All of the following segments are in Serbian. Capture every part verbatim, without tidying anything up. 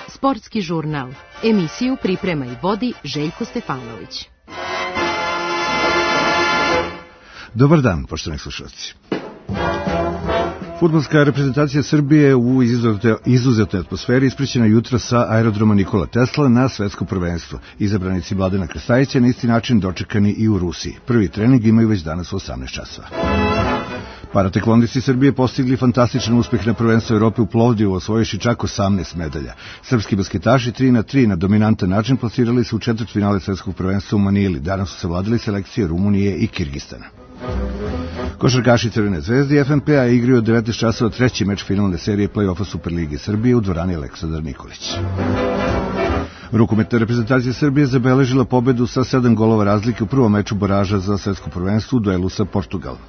Sportski žurnal. Emisiju priprema i vodi Željko Stefanović. Dobar dan, poštovani slušalci. Fudbalska reprezentacija Srbije u izuzetnoj atmosferi ispraćena jutro sa aerodroma Nikola Tesla na svetsko prvenstvo. Izabranici Mladena Krstajića na isti način dočekani i u Rusiji. Prvi trening imaju već danas u osamnaest časova. Parateklondisti Srbije postigli fantastičan uspeh na prvenstvu Evrope u Plovdivu, osvojivši čak osamnaest medalja. Srpski basketaši tri na tri na dominantan način plasirali se u četvrtfinale svetskog prvenstva u Manili. Danas su savladali selekcije Rumunije i Kirgistana. Košarkaši Crvene zvezde i F N P-a igraju od devetnaest časova treći meč finalne serije play-offa Superlige Srbije u dvorani Aleksandar Nikolić. Rukometna reprezentacija Srbije zabeležila pobedu sa sedam golova razlike u prvom meču baraža za svetsko prvenstvo u duelu sa Portugalom.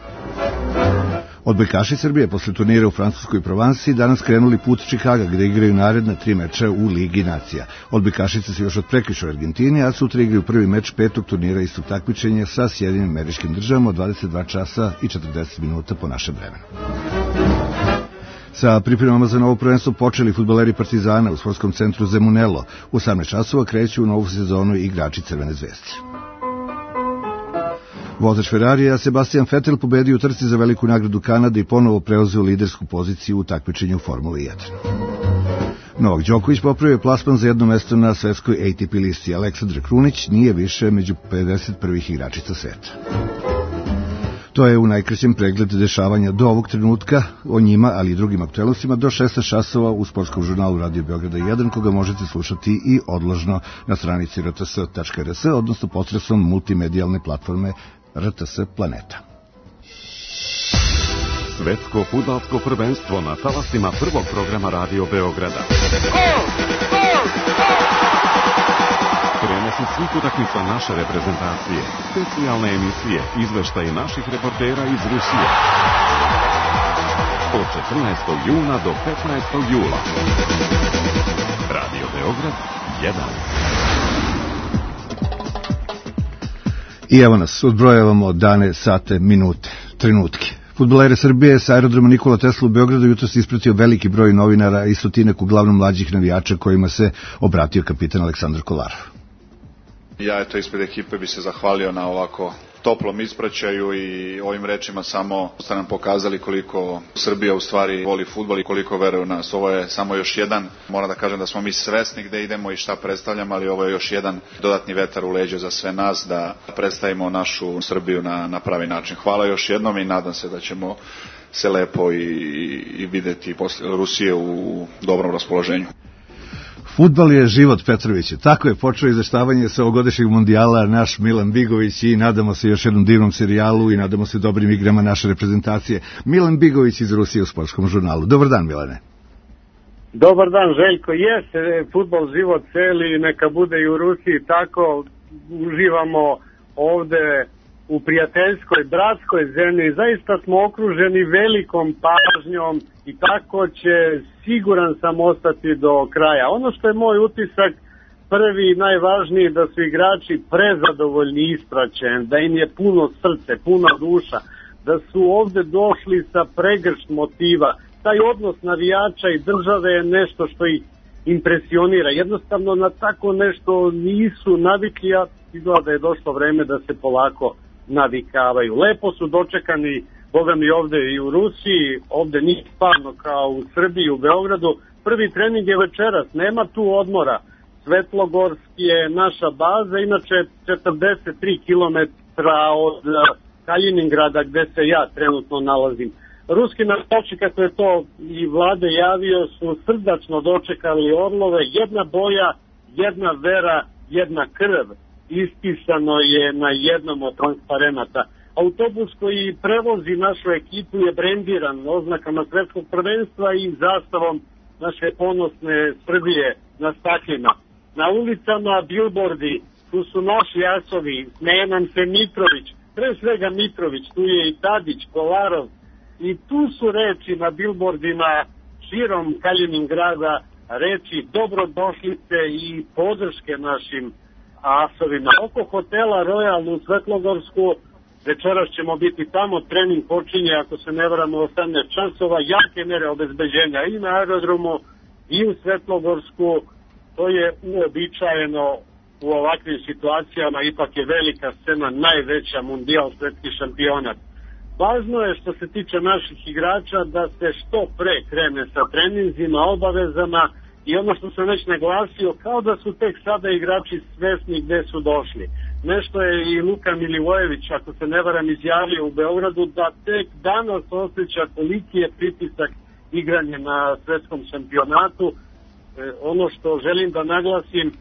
Odbojkaši Srbije posle turnira u Francuskoj Provansi danas krenuli put Čikaga, gde igraju naredna tri meča u Ligi nacija. Odbojkašice se još od prekjuče u Argentini, a sutra igraju prvi meč petog turnira istog takmičenja sa Sjedinim Američkim Državama od dvadeset dva časa i četrdeset minuta po našem vremenu. Sa pripremama za novo prvenstvo počeli fudbaleri Partizana u sportskom centru Zemunelo. U osamnaest časova kreću u novu sezonu igrači Crvene zvezde. Vozač Ferrarija Sebastian Vettel pobedio u trci za veliku nagradu Kanade i ponovo preuzeo lidersku poziciju u takmičenju u Formuli jedan. Novak Đoković popravio plasman za jedno mesto na svetskoj A T P listi. Aleksandar Krunić nije više među pedeset prvih igračica sveta. To je u najkraćem pregled dešavanja do ovog trenutka, o njima, ali i drugim aktuelnostima, do šesnaest časova u sportskom žurnalu Radio Beograda jedan, koga možete slušati i odložno na stranici r t s tačka r s, odnosno posredstvom multimedijalne platforme R T S Planeta. Svetsko fudbalsko prvenstvo na talasima prvog programa Radio Beograda. Prenosi svih utakmica naše reprezentacije, specijalne emisije, izveštaje naših reportera iz Rusije. Od četrnaestog juna do petnaestog jula. Radio Beograd jedan. I evo nas, odbrojavamo dane, sate, minute, trenutke. Fudbalere Srbije sa aerodroma Nikola Tesla u Beogradu jutro se ispratio veliki broj novinara i stotinak uglavnom mlađih navijača kojima se obratio kapitan Aleksandar Kolarov. Ja eto ispred ekipe bi se zahvalio na ovako toplom ispraćaju i ovim rečima samo ste nam pokazali koliko Srbija u stvari voli fudbal i koliko veruje u nas. Ovo je samo još jedan, moram da kažem da smo mi svesni gde idemo i šta predstavljamo, ali ovo je još jedan dodatni vetar u leđa za sve nas da predstavimo našu Srbiju na, na pravi način. Hvala još jednom i nadam se da ćemo se lepo i, i videti posle Rusije u dobrom raspoloženju. Fudbal je život, Petroviću. Tako je počeo izveštavanje sa ovogodišnjeg mondijala naš Milan Bigović i nadamo se još jednom divnom serijalu i nadamo se dobrim igrama naše reprezentacije. Milan Bigović iz Rusije u sportskom žurnalu. Dobar dan, Milane. Dobar dan, Željko. Jeste, fudbal život celi, neka bude i u Rusiji tako. Uživamo ovde u prijateljskoj, bratskoj zemlji. Zaista smo okruženi velikom pažnjom i tako će, siguran sam, ostati do kraja. Ono što je moj utisak, prvi i najvažniji, da su igrači prezadovoljni ispraćen, da im je puno srce, puna duša, da su ovde došli sa pregršt motiva. Taj odnos navijača i države je nešto što ih impresionira. Jednostavno na tako nešto nisu navikli, a izgleda da je došlo vreme da se polako navikavaju. Lepo su dočekani, boga mi, ovde i u Rusiji, ovde nije stvarno kao u Srbiji, u Beogradu. Prvi trening je večeras, nema tu odmora. Svetlogorski je naša baza, inače četrdeset tri kilometra od Kaliningrada gde se ja trenutno nalazim. Ruski navijači, kako je to i Vlade javio, su srdačno dočekali orlove, jedna boja, jedna vera, jedna krv. Ispisano je na jednom od transparenata. Autobus koji prevozi našu ekipu je brendiran oznakama svetskog prvenstva i zastavom naše ponosne Srbije na staklima. Na ulicama bilbordi, tu su naši asovi, smeje nam se Mitrović, pre svega Mitrović, tu je i Tadić, Kolarov, i tu su reči na bilbordima širom Kaliningrada, reči dobrodošlice i podrške našim asovima. Oko hotela Royal u Svetlogorsku Večeras ćemo biti tamo, trening počinje, ako se ne varam, u osamnaest časova, jake mere obezbeđenja i na aerodromu i u Svetlogorsku. To je uobičajeno u ovakvim situacijama, ipak je velika scena, najveća, mundijal, svetski šampionat. Važno je što se tiče naših igrača da se što pre krene sa treninzima, obavezama i ono što sam već naglasio, kao da su tek sada igrači svesni gde su došli. Nešto je i Luka Milivojević, ako se ne varam, izjavio u Beogradu da tek danas osjeća koliki je pritisak igranje na svetskom šampionatu. E, ono što želim da naglasim,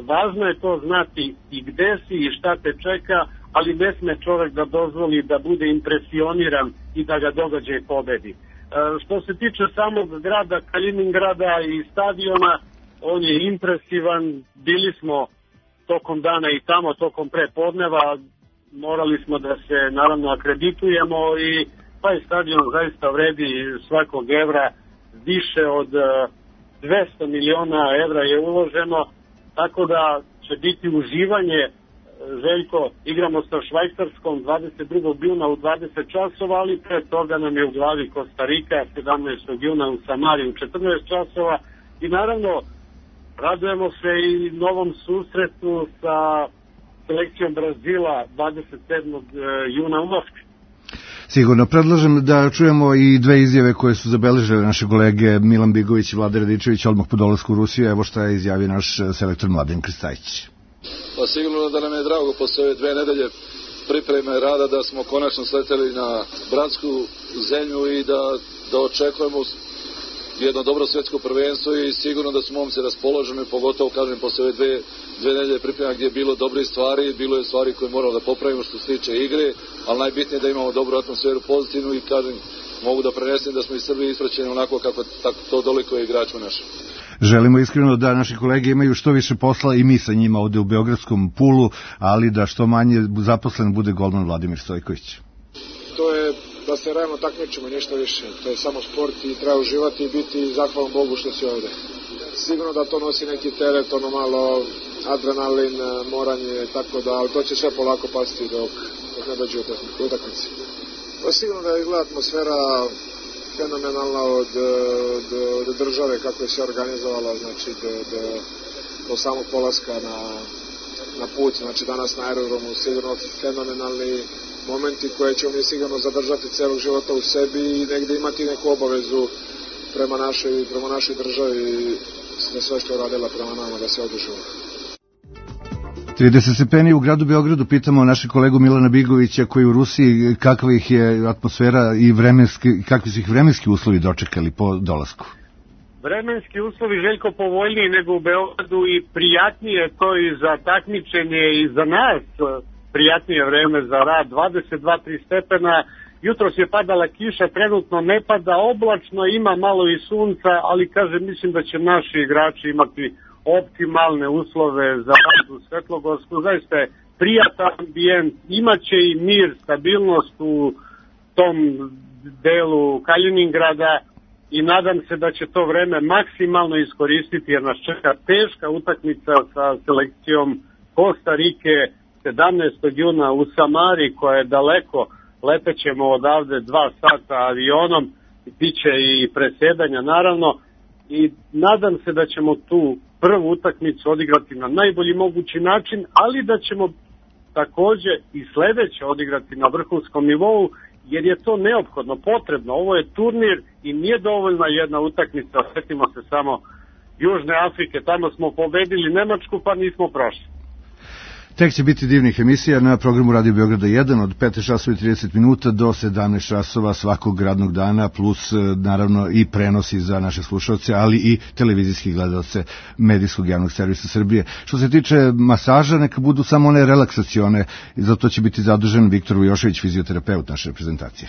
važno je to znati i gde si i šta te čeka, ali ne sme čovek da dozvoli da bude impresioniran i da ga događaj pobedi. E, što se tiče samog grada Kaliningrada i stadiona, on je impresivan, bili smo tokom dana i tamo, tokom prepodneva, morali smo da se naravno akreditujemo i taj stadion zaista vredi svakog evra, više od dvesta miliona evra je uloženo, tako da će biti uživanje. Željko, igramo sa Švajcarskom dvadeset drugog juna u dvadeset časova, ali pre toga nam je u glavi Kostarika sedamnaestog juna u Samari u četrnaest časova i naravno radujemo se i novom susretu sa selekcijom Brazila dvadeset sedmog juna u Moskvi. Sigurno. Predlažem da čujemo i dve izjave koje su zabeležile naše kolege Milan Bigović i Vlada Radičević odmah po dolasku u Rusiju. Evo šta je izjavio naš selektor Mladen Krstajić. Pa sigurno da nam je drago posle ove dve nedelje pripreme rada da smo konačno sleteli na bratsku zemlju i da, da očekujemo jedno dobro svetsko prvenstvo i sigurno da su momci raspoloženi, pogotovo kažem posle ove dve, dve nedelje priprema gdje je bilo dobre stvari, bilo je stvari koje moramo da popravimo što se tiče igre, ali najbitnije je da imamo dobru atmosferu, pozitivnu i kažem, mogu da prenesem da smo iz Srbije ispraćeni onako kako tako, to doliko je igračima našim. Želimo iskreno da naši kolege imaju što više posla i mi sa njima ovde u Beogradskom Pulu, ali da što manje zaposlen bude golman Vladimir Stojković. To je da se realno takmičimo, ništa više. To je samo sport i treba uživati i biti zahvalan Bogu što si ovde. Sigurno da to nosi neki teret, ono malo adrenalin, moranje, tako da, ali to će sve polako pasti dok, dok ne dođe u utakmici. Pa sigurno da izgleda atmosfera fenomenalna od, od, od države, kako je se organizovala, znači do, do, do samog polaska na, na put, znači danas na aerodromu, sigurno fenomenalni momenti koje ćemo mi sigurno zadržati celog života u sebi i negde imati neku obavezu prema našoj, prema našoj državi za sve što je radila prema nama da se odužimo. trideset stepeni u gradu Beogradu, pitamo našeg kolegu Milana Bigovića koji u Rusiji, kakva ih je atmosfera i vremenski, kakvi su ih vremenski uslovi dočekali po dolasku? Vremenski uslovi, Željko, povoljniji nego u Beogradu i prijatnije to i za takmičenje i za nas prijatnije vreme za rad, dvadeset dva do trideset stepena. Jutros je padala kiša, trenutno ne pada, oblačno, ima malo i sunca, ali kažem, mislim da će naši igrači imati optimalne uslove za rad u Svetlogorsku. Zaista je prijatan ambijent, imaće i mir, stabilnost u tom delu Kaliningrada i nadam se da će to vreme maksimalno iskoristiti jer nas čeka teška utakmica sa selekcijom Kostarike sedamnaestog juna u Samari koja je daleko, letećemo odavde dva sata avionom, biće i presedanja naravno i nadam se da ćemo tu prvu utakmicu odigrati na najbolji mogući način, ali da ćemo takođe i sledeće odigrati na vrhunskom nivou, jer je to neophodno, potrebno. Ovo je turnir i nije dovoljna jedna utakmica, setimo se samo Južne Afrike, tamo smo pobedili Nemačku pa nismo prošli. Tek će biti divnih emisija na programu Radio Beograda jedan od petnaest časova i trideset minuta do sedamnaest časova svakog radnog dana, plus naravno i prenosi za naše slušalce, ali i televizijski gledalce medijskog javnog servisa Srbije. Što se tiče masaža, neka budu samo one relaksacione, zato će biti zadužen Viktor Vujošević, fizioterapeut naše reprezentacije.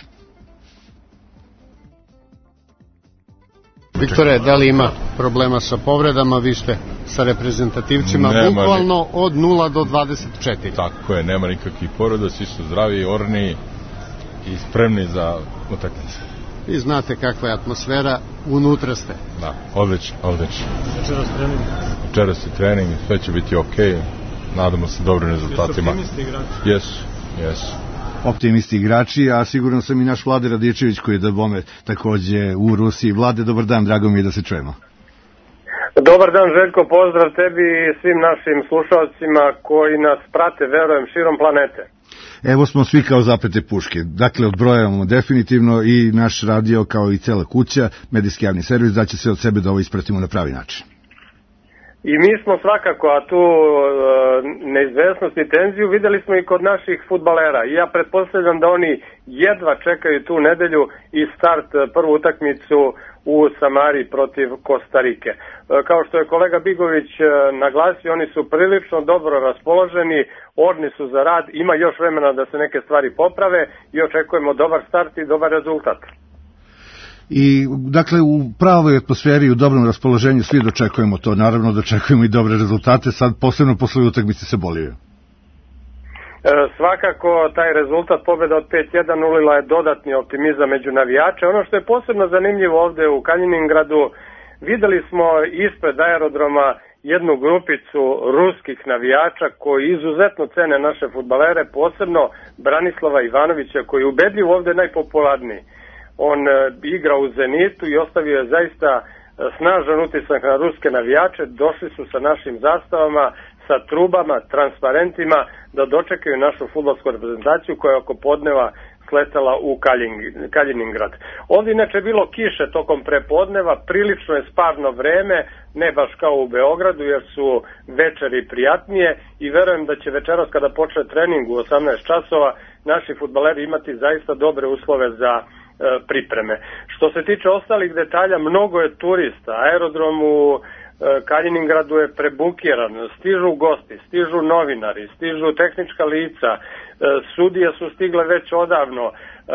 Viktore, da li ima problema sa povredama? Vi ste sa reprezentativcima nema bukvalno ni... od nula do dvadeset četiri. Tako je, nema nikakvih povreda, svi su zdravi, orni i spremni za utakmice. Vi znate kakva je atmosfera, unutra ste. Da, odlično, odlično. Večeras trening? Večeras je trening, sve će biti okej, nadamo se dobrim rezultatima. Jeste optimisti igrači? Jesu, jesu. optimisti igrači, a sigurno sam i naš Vlade Radičević koji je da bome takođe u Rusiji. Vlade, dobar dan, drago mi je da se čujemo. Dobar dan, Željko, pozdrav tebi i svim našim slušalcima koji nas prate, verujem, širom planete. Evo smo svi kao zapete puške. Dakle, odbrojavamo definitivno i naš radio kao i cela kuća, medijski javni servis, da će se od sebe da ovo ispratimo na pravi način. I mi smo svakako, a tu e, neizvesnost i tenziju videli smo i kod naših fudbalera. I ja pretpostavljam da oni jedva čekaju tu nedelju i start prvu utakmicu u Samari protiv Kostarike. E, kao što je kolega Bigović e, naglasio, oni su prilično dobro raspoloženi, orni su za rad, ima još vremena da se neke stvari poprave i očekujemo dobar start i dobar rezultat. I, dakle, u pravoj atmosferi i u dobrom raspoloženju svi dočekujemo to. Naravno, dočekujemo i dobre rezultate, sad posebno posle utakmice sa Bolivijom. E, svakako, taj rezultat pobjeda od pet jedan ulila je dodatni optimizam među navijače. Ono što je posebno zanimljivo ovde u Kaliningradu, videli smo ispred aerodroma jednu grupicu ruskih navijača koji izuzetno cene naše fudbalere, posebno Branislava Ivanovića koji je ubedljivo ovde najpopularniji. On e, igra u Zenitu i ostavio je zaista e, snažan utisak na ruske navijače. Došli su sa našim zastavama, sa trubama, transparentima da dočekaju našu fudbalsku reprezentaciju koja je oko podneva sletala u Kaliningrad. Ovdje inače bilo kiše tokom prepodneva, prilično je sparno vreme, ne baš kao u Beogradu jer su večeri prijatnije i verujem da će večeras kada počne trening u osamnaest časova naši fudbaleri imati zaista dobre uslove za pripreme. Što se tiče ostalih detalja, mnogo je turista, aerodrom u Kaliningradu je prebukiran, stižu gosti, stižu novinari, stižu tehnička lica, sudije su stigle već odavno,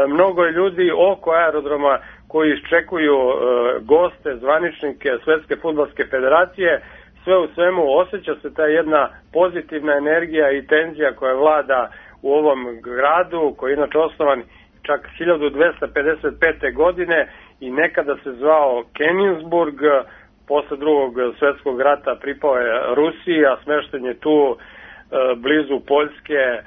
mnogo je ljudi oko aerodroma koji iščekuju goste, zvaničnike Svetske fudbalske federacije. Sve u svemu osjeća se ta jedna pozitivna energija i tenzija koja vlada u ovom gradu, koji je inače osnovan čak hiljadu dvesta pedeset pete. godine i nekada se zvao Kenigsburg, posle drugog svetskog rata pripao je Rusiji, a smešten je tu e, blizu Poljske, e,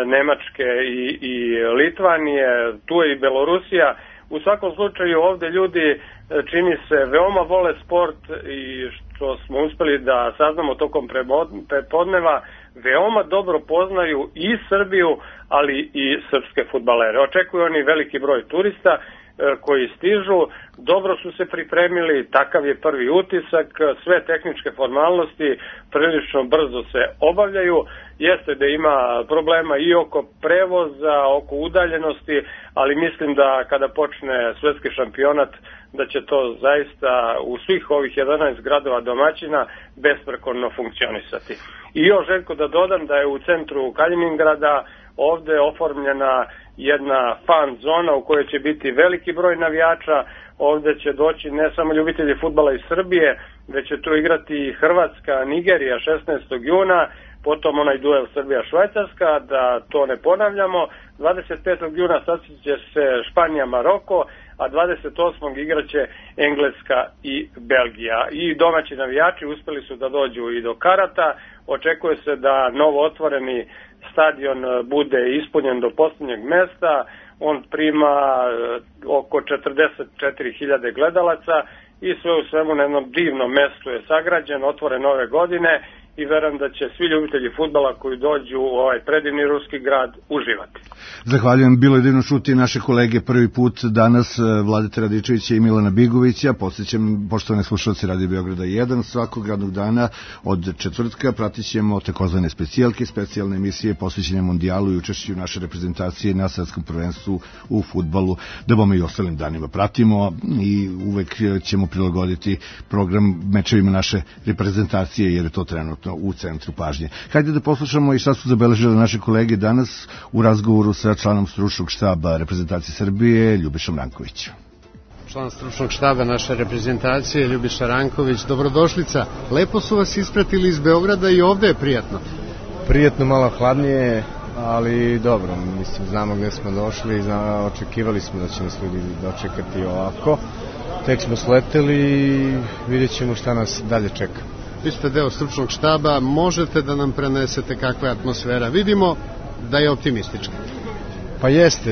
Nemačke i, i Litvanije, tu je i Belorusija. U svakom slučaju ovde ljudi e, čini se veoma vole sport i što smo uspeli da saznamo tokom prepodneva, veoma dobro poznaju i Srbiju, ali i srpske fudbalere. Očekuju oni veliki broj turista koji stižu, dobro su se pripremili, takav je prvi utisak, sve tehničke formalnosti prilično brzo se obavljaju, jeste da ima problema i oko prevoza, oko udaljenosti, ali mislim da kada počne svetski šampionat da će to zaista u svih ovih jedanaest gradova domaćina besprekorno funkcionisati. I još, Željko, da dodam da je u centru Kaliningrada ovde oformljena jedna fan zona u kojoj će biti veliki broj navijača. Ovde će doći ne samo ljubitelji fudbala iz Srbije, već će tu igrati i Hrvatska, Nigerija šesnaestog juna, potom onaj duel Srbija-Švajcarska, da to ne ponavljamo. dvadeset petog juna sastaće se Španija-Maroko, a dvadeset osmog igraće Engleska i Belgija. I domaći navijači uspeli su da dođu i do karata. Očekuje se da novo otvoreni stadion bude ispunjen do posljednjeg mesta. On prima oko četrdeset četiri hiljade gledalaca i sve u svemu na jednom divnom mestu je sagrađen, otvoren ove godine i verujem da će svi ljubitelji fudbala koji dođu u ovaj predivni ruski grad uživati. Zahvaljujem, bilo je divno čuti naše kolege prvi put danas, Vladeta Radičevića i Milana Bigovića. Podsjećam, poštovane slušalci Radio Beograda jedan, svakog radnog dana od četvrtka pratit ćemo takozvane specijalke, specijalne emisije posvećene mondijalu i učešću naše reprezentacije na svetskom prvenstvu u fudbalu, da bome i ostalim danima pratimo i uvek ćemo prilagoditi program mečevima naše reprezentacije, jer je to trenutno u centru pažnje. Hajde da poslušamo i šta su zabeležile naše kolege danas u razgovoru sa članom stručnog štaba reprezentacije Srbije, Ljubišom Rankovićem. Član stručnog štaba naše reprezentacije, Ljubiša Ranković, dobrodošlica. Lepo su vas ispratili iz Beograda i ovde je prijatno. Prijatno, malo hladnije, ali dobro, mislim, znamo gde smo došli, zna, očekivali smo da će nas ljudi dočekati ovako. Tek smo sleteli i vidjet ćemo šta nas dalje čeka. Vi ste deo stručnog štaba, možete da nam prenesete kakva je atmosfera? Vidimo da je optimistička. Pa jeste,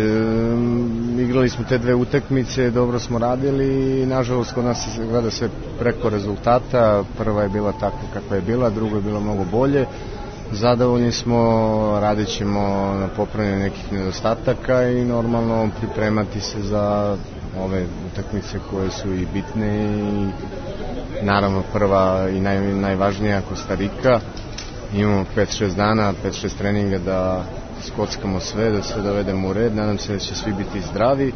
igrali smo te dve utakmice, dobro smo radili i nažalost kod nas se gleda sve preko rezultata. Prva je bila takva kakva je bila, druga je bila mnogo bolje. Zadovoljni smo, radit ćemo na popravljanju nekih nedostataka i normalno pripremati se za ove utakmice koje su i bitne i naravno prva i naj, najvažnija Kostarika. Imamo pet šest dana, pet šest treninga da skockamo sve, da sve dovedemo u red. Nadam se da će svi biti zdravi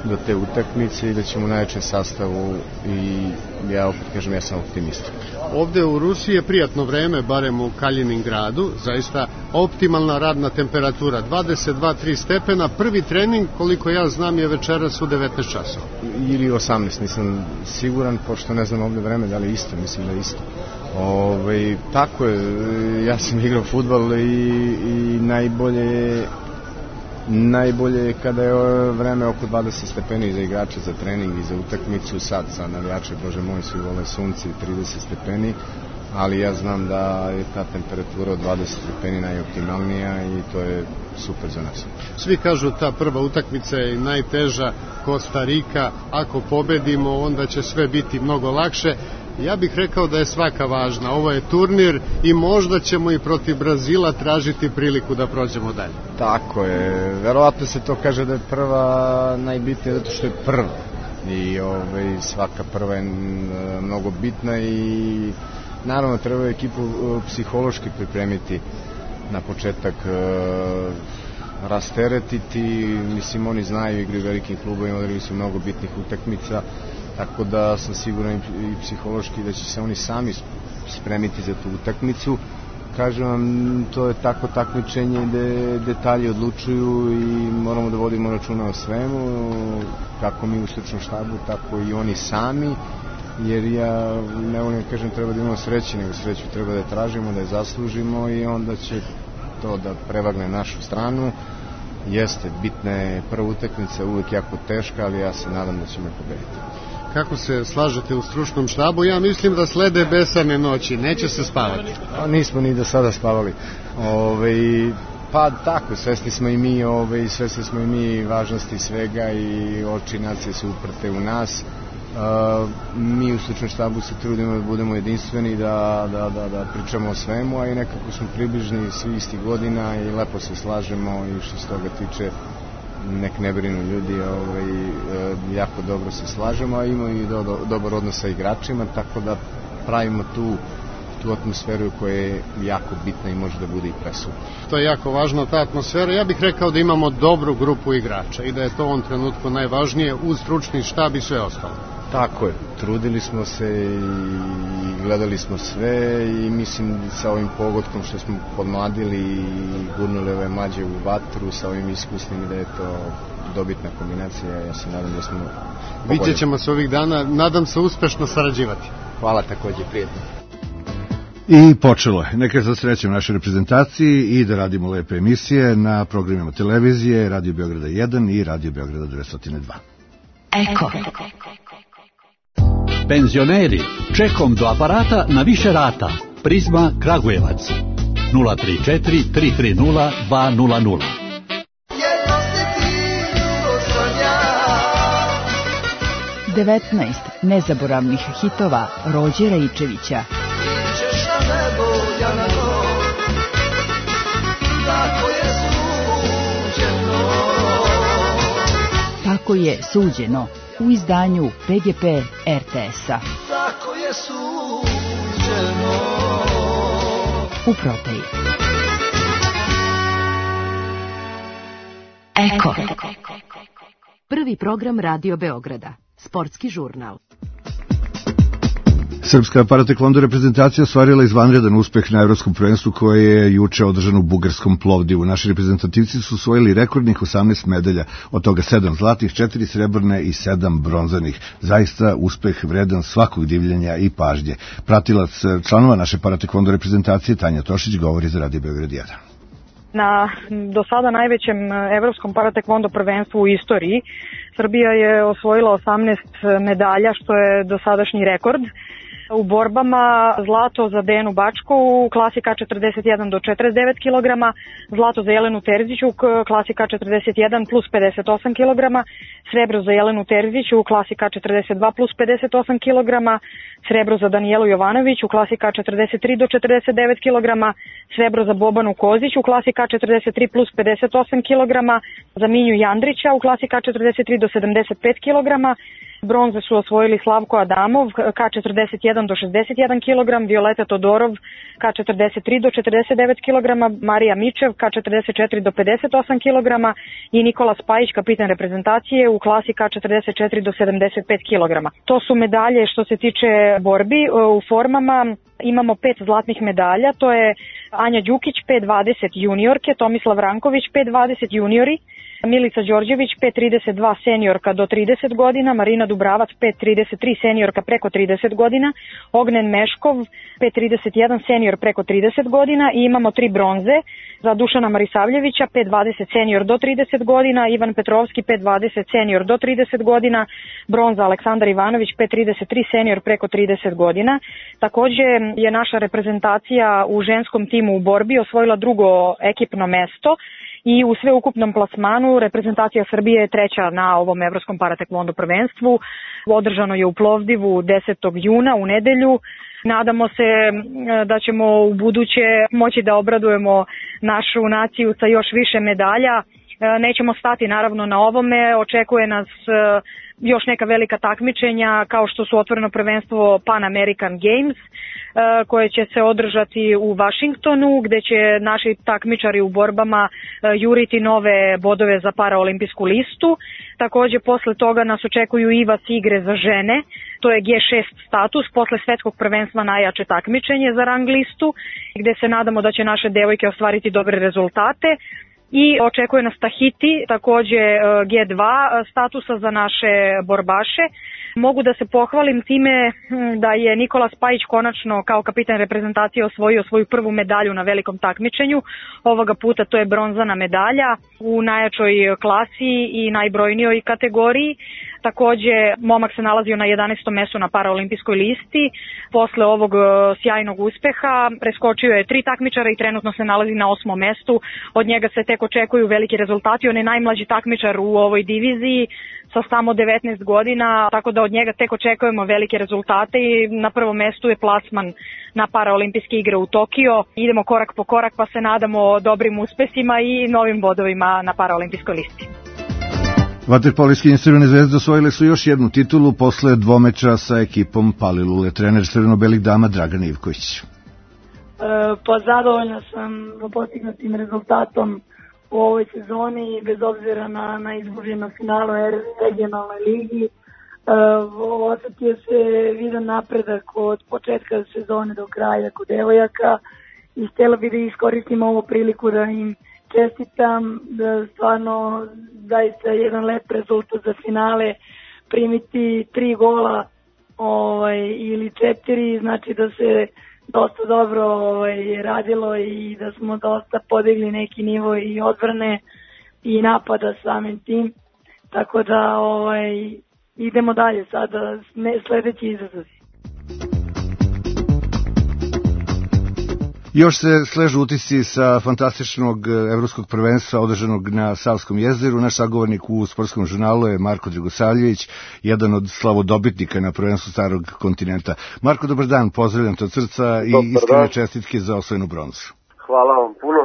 do te utakmice i da ćemo u najvećem sastavu i ja opet kažem, ja sam optimista. Ovde u Rusiji je prijatno vreme, barem u Kaliningradu, zaista optimalna radna temperatura, dvadeset dva tri stepena. Prvi trening, koliko ja znam, je večeras u devetnaest časova. Ili osamnaest, nisam siguran, pošto ne znam ovde vreme, da li isto, mislim da je isto. Ove, tako je, ja sam igrao fudbal i, i najbolje najbolje je kada je vreme oko dvadeset stepeni za igrače, za trening i za utakmicu. Sad za navijače, bože moj, svi vole sunce i trideset stepeni, ali ja znam da je ta temperatura od dvadeset stepeni najoptimalnija i to je super za nas. Svi kažu ta prva utakmica je najteža, Kostarika, ako pobedimo onda će sve biti mnogo lakše. Ja bih rekao da je svaka važna. Ovo je turnir i možda ćemo i protiv Brazila tražiti priliku da prođemo dalje. Tako je. Verovatno se to kaže da je prva najbitnija zato što je prva. I ovaj, svaka prva je mnogo bitna i naravno treba ekipu psihološki pripremiti na početak, rasteretiti. Mislim, oni znaju, igraju velikim klubovima, odigrali su mnogo bitnih utakmica. Tako da sam siguran i psihološki da će se oni sami spremiti za tu utakmicu. Kažem vam, to je tako takmičenje gde detalji odlučuju i moramo da vodimo računa o svemu, kako mi u stručnom štabu, tako i oni sami, jer ja ne volim da kažem treba da imamo sreće, nego sreću treba da tražimo, da je zaslužimo i onda će to da prevagne našu stranu. Jeste, bitna je prva utakmica, uvek jako teška, ali ja se nadam da ćemo je pobediti. Kako se slažete u stručnom štabu? Ja mislim da slede besane noći, neće se spavati. A, nismo ni do sada spavali. Ove, pa tako, svesni smo i mi, ove, svesni smo i mi važnosti svega i oči nacije su uprte u nas. Uh, mi u stručnom štabu se trudimo da budemo jedinstveni, da, da, da, da pričamo o svemu, a i nekako smo približni svi istih godina i lepo se slažemo i što se toga tiče nek ne brinu ljudi, ovaj, jako dobro se slažemo, a imamo i do, do, dobar odnos sa igračima, tako da pravimo tu, tu atmosferu koja je jako bitna i može da bude i presudna. To je jako važna ta atmosfera. Ja bih rekao da imamo dobru grupu igrača i da je to u ovom trenutku najvažnije uz stručni štab i sve ostalo. Tako je, trudili smo se i gledali smo sve i mislim sa ovim pogodkom što smo podmladili i gurnuli ove mlađe u vatru sa ovim iskusnim da je to dobitna kombinacija. Ja se nadam da smo pogodili. Vidjet ćemo se ovih dana, nadam se uspešno sarađivati. Hvala, takođe, prijetno. I počelo je. Neka za srećem našoj reprezentaciji i da radimo lepe emisije na programima televizije Radio Beograda jedan i Radio Beograda dvesta dva. Eko. Penzioneri, čekom do aparata na više rata. Prizma Kragujevac. nula tri četiri tri tri nula dva nula nula. devetnaest nezaboravnih hitova Rođe Raičevića. Tako je suđeno u izdanju P G P R T S-a. Tako je suđeno. U prodaji. Eko. Prvi program Radio Beograda. Sportski žurnal. Srpska paratekvondo reprezentacija ostvarila izvanredan uspeh na evropskom prvenstvu koje je juče održano u bugarskom Plovdivu. Naši reprezentativci su osvojili rekordnih osamnaest medalja, od toga sedam zlatnih, četiri srebrne i sedam bronzanih. Zaista uspeh vredan svakog divljenja i pažnje. Pratilac članova naše paratekvondo reprezentacije Tanja Tošić govori za Radio Beograd jedan. Na do sada najvećem evropskom paratekvondo prvenstvu u istoriji Srbija je osvojila osamnaest medalja, što je dosadašnji rekord. U borbama zlato za Dejanu Bačku u klasi K četrdeset jedan do četrdeset devet kilograma, zlato za Jelenu Terzić u klasi K četrdeset jedan plus pedeset osam kilograma, srebro za Jelenu Terzić u klasi K četrdeset dva plus pedeset osam kilograma, srebro za Danijelu Jovanović u klasi K četrdeset tri do četrdeset devet kilograma, srebro za Bobanu Kozić u klasi K četrdeset tri plus pedeset osam kilograma, za Minju Jandrića u klasi K četrdeset tri do sedamdeset pet kilograma, bronze su osvojili Slavko Adamov, K četrdeset jedan do šezdeset jedan kilogram, Violeta Todorov, K četrdeset tri do četrdeset devet kilograma, Marija Mičev, K četrdeset četiri do pedeset osam kilograma i Nikola Spajić, kapitan reprezentacije, u klasi K četrdeset četiri do sedamdeset pet kilograma. To su medalje što se tiče borbi. U formama imamo pet zlatnih medalja, to je Anja Đukić, pet dvadeset juniorke, Tomislav Ranković, pet dvadeset juniori, Milica Đorđević, pet trideset dva seniorka do trideset godina, Marina Dubravac, pet trideset tri seniorka preko trideset godina, Ognen Meškov, pet trideset jedan senior preko trideset godina i imamo tri bronze za Dušana Marisavljevića, pet dvadeset senior do trideset godina, Ivan Petrovski, pet dvadeset senior do trideset godina, bronza Aleksandar Ivanović, pet trideset tri senior preko trideset godina. Takođe je naša reprezentacija u ženskom timu u borbi osvojila drugo ekipno mesto i u sveukupnom plasmanu reprezentacija Srbije je treća na ovom Evropskom paratekvondo prvenstvu. Održano je u Plovdivu desetog juna u nedelju. Nadamo se da ćemo u buduće moći da obradujemo našu naciju sa još više medalja. Nećemo stati naravno na ovome, očekuje nas još neka velika takmičenja kao što su otvoreno prvenstvo Pan American Games koje će se održati u Vašingtonu, gde će naši takmičari u borbama juriti nove bodove za paraolimpijsku listu. Takođe posle toga nas očekuju I V A S igre za žene, to je G šest status, posle svetskog prvenstva najjače takmičenje za rang listu, gde se nadamo da će naše devojke ostvariti dobre rezultate. I očekuje nas Tahiti, takođe G dva statusa za naše borbaše. Mogu da se pohvalim time da je Nikola Spajić konačno kao kapitan reprezentacije osvojio svoju prvu medalju na velikom takmičenju. Ovoga puta to je bronzana medalja u najjačoj klasi i najbrojnijoj kategoriji. Takođe, momak se nalazio na jedanaestom mestu na paraolimpijskoj listi. Posle ovog sjajnog uspeha preskočio je tri takmičara i trenutno se nalazi na osmom mestu. Od njega se tek očekuju veliki rezultati. On je najmlađi takmičar u ovoj diviziji sa samo devetnaest godina, tako da od njega tek očekujemo velike rezultate i na prvom mestu je plasman na paraolimpijske igre u Tokio. Idemo korak po korak pa se nadamo dobrim uspesima i novim bodovima na paraolimpijskoj listi. Vaterpoliski Crvene zvezde osvojile su još jednu titulu posle dvomeča sa ekipom Palilule. Trener crveno-belih dama Dragan Ivković. E, pa zadovoljna sam postignutim rezultatom u ovoj sezoni, bez obzira na, na izguženo finalu regionalnoj ligi. E, osetio se vidan napredak od početka sezone do kraja kod devojaka i htjela bih da iskoristim ovu priliku da im čestitam, da stvarno zaista jedan lep rezultat za finale, primiti tri gola ovaj, ili četiri, znači da se dosta dobro ovaj, radilo i da smo dosta podigli neki nivo i odbrane i napada samim tim, tako da ovaj, idemo dalje sada, sledeći izazov. Još se sležu utisci sa fantastičnog evropskog prvenstva održanog na Savskom jezeru. Naš sagovornik u sportskom žurnalu je Marko Dragosavljević, jedan od slavodobitnika na prvenstvu starog kontinenta. Marko, dobar dan, pozdravljam te od srca i iskrene čestitke za osvojenu bronzu. Hvala vam puno.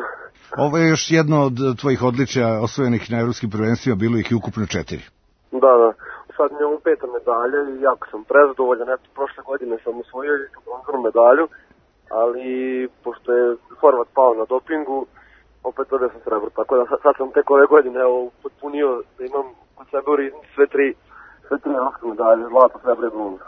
Ovo je još jedno od tvojih odličja osvojenih na evropskim prvenstvima, bilo ih i ukupno četiri. Da, da. Sad mi je ovo peta medalja i jako sam prezadovoljan. Eto, prošle godine sam osvojio i bronzanu medalju, ali pošto je Horvat pao na dopingu, opet dobio sam srebro, tako da sad sam tek ove godine evo, potpunio da imam kod sebe u riznici sve tri, sve tri evropske medalje, zlato, srebro i bronza.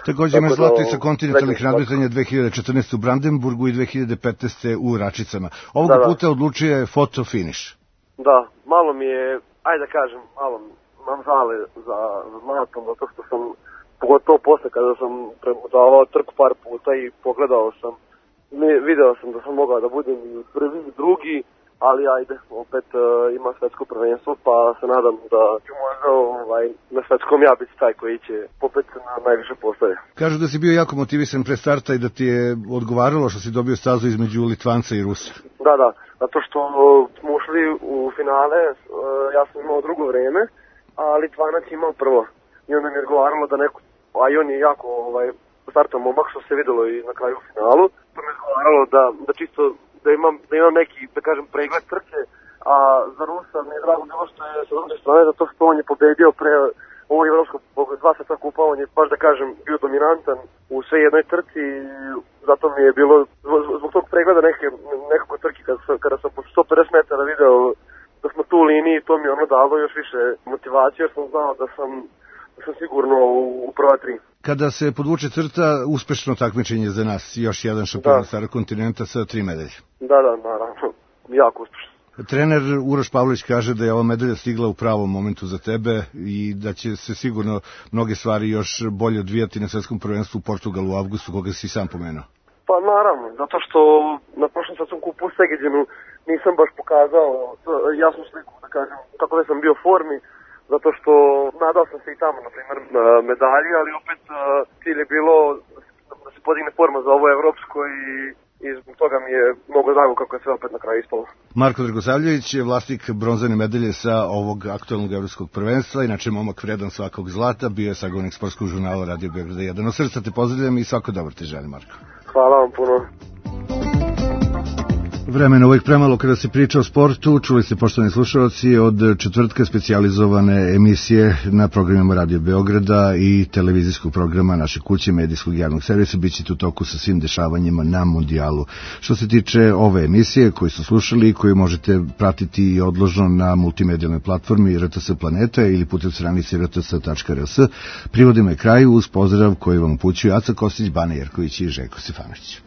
Takođe imaš zlato i sa kontinentalnih nadmetanja dve hiljade četrnaeste. u Brandenburgu i dve hiljade petnaeste. u Račicama. Ovog da, da. puta odlučuje foto finiš. Da, malo mi je, ajde da kažem, malo imam žale za, za zlatom, zato što sam pogotovo posle kada sam premudavao trku par puta i pogledao sam, video sam da sam mogao da budem i prvi i drugi, ali ajde, opet uh, ima svetsko prvenstvo, pa se nadam da ću možda ovaj, na svetskom ja biti taj koji će opet na najviše postave. Kažu da si bio jako motivisan pre starta i da ti je odgovaralo što si dobio stazu između Litvanca i Rusa. Da, da, zato što smo ušli u finale, uh, ja sam imao drugo vreme, a Litvanac imao prvo. I onda mi je odgovaralo da neko, a i on je jako ovaj, startan momak, što se videlo i na kraju u finalu, to mi je odgovaralo da, da čisto da imam, da imam neki, da kažem, pregled trke, a za Rusa mi je drago bilo što je sa druge strane, zato što on je pobedio pre ovog evropskog dva sveta kupa, on je, baš da kažem, bio dominantan u sve jednoj trci i zato mi je bilo, zbog tog pregleda neke, nekako trki, kada sam, kada sam po sto pedeset metara video da smo tu u liniji, to mi je ono dalo još više motivacije, jer sam znao da sam, da sam sigurno u, u prva tri. Kada se podvuče crta, uspešno takmičenje za nas, još jedan šampion starog kontinenta sa tri medalje. Da, da, naravno, jako uspešno. Trener Uroš Pavlović kaže da je ova medalja stigla u pravom momentu za tebe i da će se sigurno mnoge stvari još bolje odvijati na svetskom prvenstvu u Portugalu u avgustu, koga si sam pomenuo. Pa naravno, zato što na prošlom svetskom kupu u Segedinu nisam baš pokazao jasnu sliku, da kažem, kako da sam bio u formi, zato što nadao sam se i tamo, na primjer, medalji, ali opet cilj je bilo da se podigne forma za ovo evropsko i i zbog toga mi je mnogo drago kako je sve opet na kraju ispalo. Marko Dragosavljević je vlasnik bronzane medalje sa ovog aktualnog evropskog prvenstva, inače momak vredan svakog zlata, bio je sagovornik sportskog žurnala Radio Beograda jedan. Od srca te pozdravljam i svako dobro ti želim, Marko. Hvala vam puno. Vremena uvijek premalo kada se priča o sportu. Čuli ste, poštovani slušalci, od četvrtka specijalizovane emisije na programima Radio Beograda i televizijskog programa naše kuće medijskog javnog servisa. Bićete u toku sa svim dešavanjima na mundijalu. Što se tiče ove emisije koju su slušali i koju možete pratiti i odložno na multimedijalnoj platformi R T S Planeta ili putem stranice r t s tačka r s, privodimo je kraju uz pozdrav koji vam upućuju Aca Kostić, Bane Jerković i Željko Stefanović.